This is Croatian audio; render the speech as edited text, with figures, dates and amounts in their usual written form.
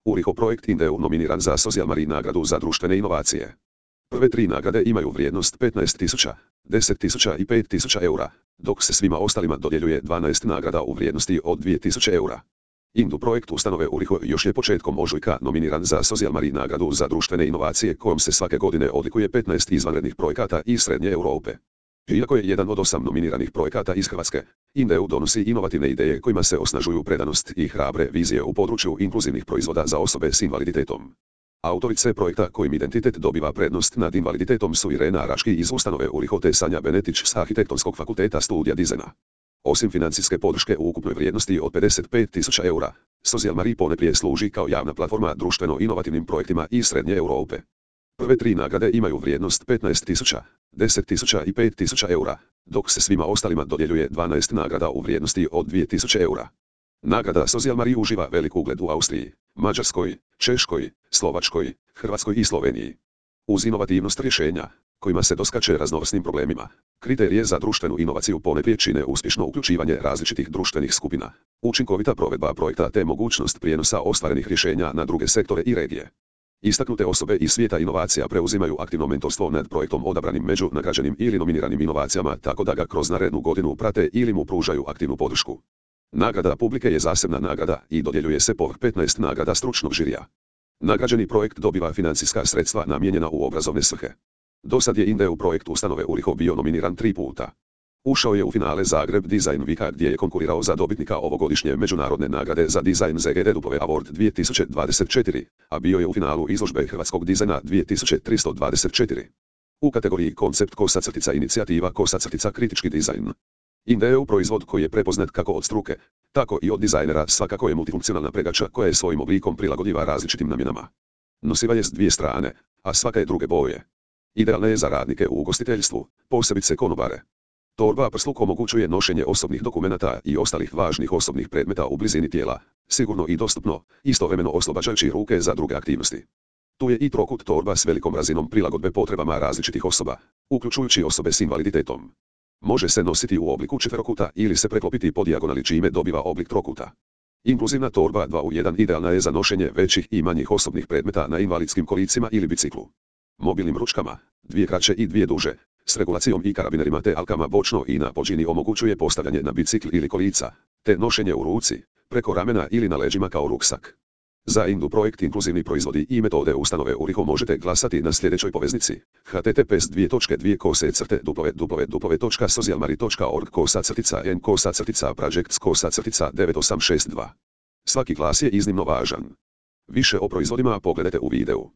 Uriho projekt Indeu nominiran za Social Mari nagradu za društvene inovacije. Prve tri nagrade imaju vrijednost 15.000, 10.000 i 5.000 eura, dok se svima ostalima dodjeljuje 12 nagrada u vrijednosti od 2.000 eura. Indu projekt ustanove Uriho još je početkom ožujka nominiran za Social Mari nagradu za društvene inovacije kojom se svake godine odlikuje 15 izvanrednih projekata iz Srednje Europe. Iako je jedan od 8 nominiranih projekata iz Hrvatske, Indeu donosi inovativne ideje kojima se osnažuju predanost i hrabre vizije u području inkluzivnih proizvoda za osobe s invaliditetom. Autorice projekta kojim identitet dobiva prednost nad invaliditetom su Irena Raški iz ustanove Uriho te Sanja Benetić s Arhitektonskog fakulteta studija dizajna. Osim financijske podrške u ukupnoj vrijednosti od 55.000 eura, Social Mari ponajprije služi kao javna platforma društveno-inovativnim projektima iz Srednje Europe. Prve tri nagrade imaju vrijednost 15.000, 10.000 i 5.000 eura, dok se svima ostalima dodjeljuje 12 nagrada u vrijednosti od 2.000 eura. Nagrada Social Mari uživa velik ugled u Austriji, Mađarskoj, Češkoj, Slovačkoj, Hrvatskoj i Sloveniji. Uz inovativnost rješenja, kojima se doskače raznovrsnim problemima, kriterije za društvenu inovaciju ponajprije čine uspješno uključivanje različitih društvenih skupina, učinkovita provedba projekta te mogućnost prijenosa ostvarenih rješenja na druge sektore i regije. Istaknute osobe iz svijeta inovacija preuzimaju aktivno mentorstvo nad projektom odabranim među nagrađenim ili nominiranim inovacijama tako da ga kroz narednu godinu prate ili mu pružaju aktivnu podršku. Nagrada publike je zasebna nagrada i dodjeljuje se povrh 15 nagrada stručnog žirija. Nagrađeni projekt dobiva financijska sredstva namijenjena u obrazovne svrhe. Dosad je Indeu projekt ustanove Uriho bio nominiran 3 puta. Ušao je u finale Zagreb Design Weeka gdje je konkurirao za dobitnika ovogodišnje međunarodne nagrade za dizajn ZGDW Award 2024, a bio je u finalu izložbe hrvatskog dizajna 2324. U kategoriji koncept _inicijativa kritički dizajn. Indeu proizvod koji je prepoznat kako od struke, tako i od dizajnera svakako je multifunkcionalna pregača koja je svojim oblikom prilagodljiva različitim namjenama. Nosiva je s dvije strane, a svaka je druge boje. Idealna je za radnike u ugostiteljstvu, posebice konobare. Torba prsluk omogućuje nošenje osobnih dokumenata i ostalih važnih osobnih predmeta u blizini tijela, sigurno i dostupno, istovremeno oslobađajući ruke za druge aktivnosti. Tu je i trokut torba s velikom razinom prilagodbe potrebama različitih osoba, uključujući osobe s invaliditetom. Može se nositi u obliku četverokuta ili se preklopiti po dijagonali čime dobiva oblik trokuta. Inkluzivna torba 2 u 1 idealna je za nošenje većih i manjih osobnih predmeta na invalidskim kolicima ili biciklu. Mobilnim ručkama, dvije kraće i dvije duže, s regulacijom i karabinerima te alkama bočno i na podžini omogućuje postavljanje na bicikl ili kolica, te nošenje u ruci, preko ramena ili na leđima kao ruksak. Za Indu projekt inkluzivni proizvodi i metode ustanove Uriho možete glasati na sljedećoj poveznici https://www.socialmari.org/n/projects/98662. Svaki glas je iznimno važan. Više o proizvodima pogledajte u videu.